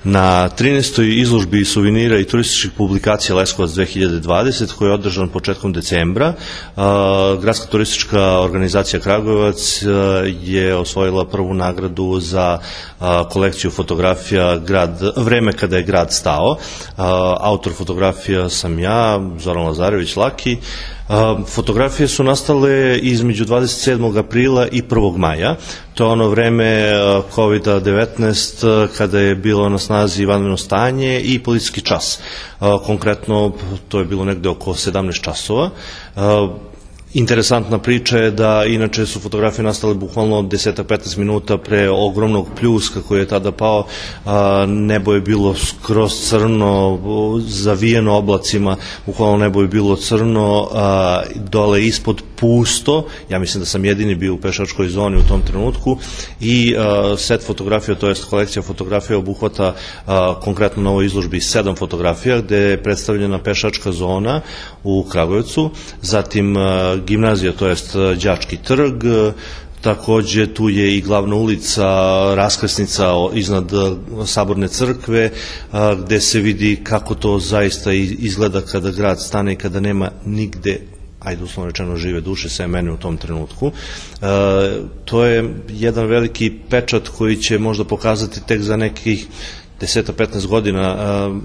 Na 13. izložbi suvenira i turističkih publikacija Leskovac 2020, koji je održan početkom decembra, Gradska turistička organizacija Kragujevac je osvojila prvu nagradu za kolekciju fotografija Vreme kada je grad stao. Autor fotografija sam ja, Zoran Lazarević Laki. Fotografije su nastale između 27. aprila i 1. maja. To je ono vreme COVID-19 kada je bilo na snazi vanredno stanje i policijski čas. Konkretno to je bilo negde oko 17 časova. Interesantna priča je da inače su fotografije nastale bukvalno 10-15 minuta pre ogromnog pljuska koji je tada pao. Nebo je bilo skroz crno, zavijeno oblacima, bukvalno nebo je bilo crno, dole ispod pusto. Ja mislim da sam jedini bio u pešačkoj zoni u tom trenutku i set fotografija, to jest kolekcija fotografija obuhvata konkretno na ovoj izložbi 7 fotografija gde je predstavljena pešačka zona u Kragujevcu, zatim gimnazija, to jest Đački trg, takođe tu je i glavna ulica, raskrsnica iznad Saborne crkve, gde se vidi kako to zaista izgleda kada grad stane i kada nema nigde, ajde uslovno rečeno, žive duše, sve mene u tom trenutku. To je jedan veliki pečat koji će možda pokazati tek za nekih 10-15 godina,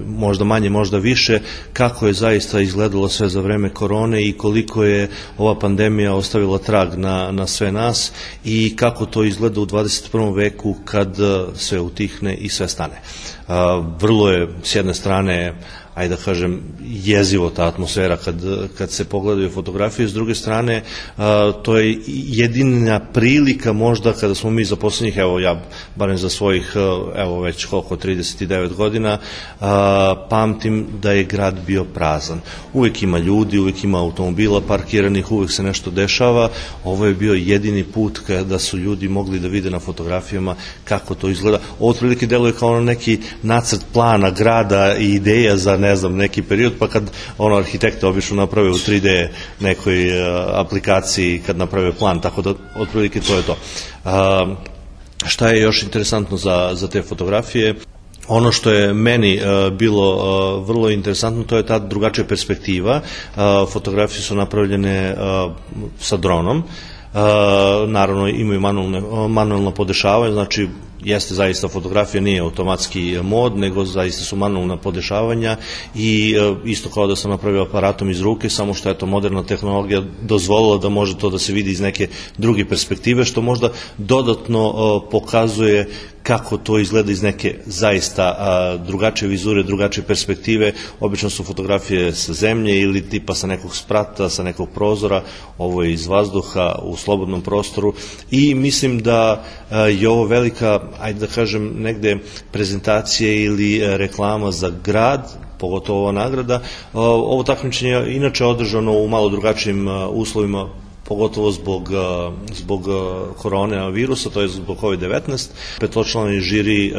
možda manje, možda više, kako je zaista izgledalo sve za vreme korone i koliko je ova pandemija ostavila trag na sve nas i kako to izgleda u 21. veku kad sve utihne i sve stane. Vrlo je, s jedne strane, ajde da kažem, jezivo ta atmosfera kad se pogledaju fotografije, s druge strane, to je jedina prilika možda kada smo mi za poslednjih, evo ja, barem za svojih, evo već koliko, 39 godina, pamtim da je grad bio prazan. Uvek ima ljudi, uvek ima automobila parkiranih, uvek se nešto dešava. Ovo je bio jedini put kada su ljudi mogli da vide na fotografijama kako to izgleda. Ovo otprilike deluje kao neki nacrt plana grada i ideja za, ne znam, neki period, pa kad arhitekta obično naprave u 3D nekoj aplikaciji kad naprave plan, tako da otprilike to je to. Šta je još interesantno za te fotografije? Ono što je meni bilo vrlo interesantno, to je ta drugačija perspektiva. Fotografije su napravljene sa dronom. Naravno imaju manuelno podešavanje, znači jeste zaista fotografija, nije automatski mod, nego zaista su manuelna podešavanja i isto kao da sam napravio aparatom iz ruke, samo što je to moderna tehnologija dozvolila da može to da se vidi iz neke druge perspektive, što možda dodatno pokazuje kako to izgleda iz neke zaista drugačije vizure, drugačije perspektive. Obično su fotografije sa zemlje ili tipa sa nekog sprata, sa nekog prozora, ovo je iz vazduha u slobodnom prostoru i mislim da je ovo velika, ajde da kažem, negde prezentacije ili reklama za grad, pogotovo ova nagrada. Ovo takmičenje je inače održano u malo drugačijim uslovima, pogotovo zbog koronavirusa, to je zbog COVID-19. Petločlani žiri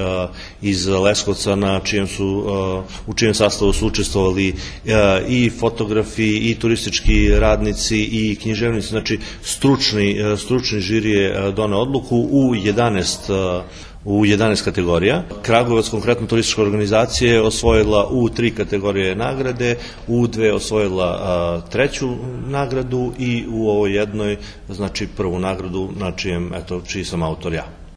iz Leskovca u čijem sastavu su učestvovali i fotografi, i turistički radnici, i književnici, znači stručni žiri je doneo odluku u 11 kategorija. Kragujevac, konkretno turistička organizacija, je osvojila u 3 kategorije nagrade, u 2 osvojila 3. nagradu i u ovoj jednoj, znači 1. nagradu, čiji sam autor ja.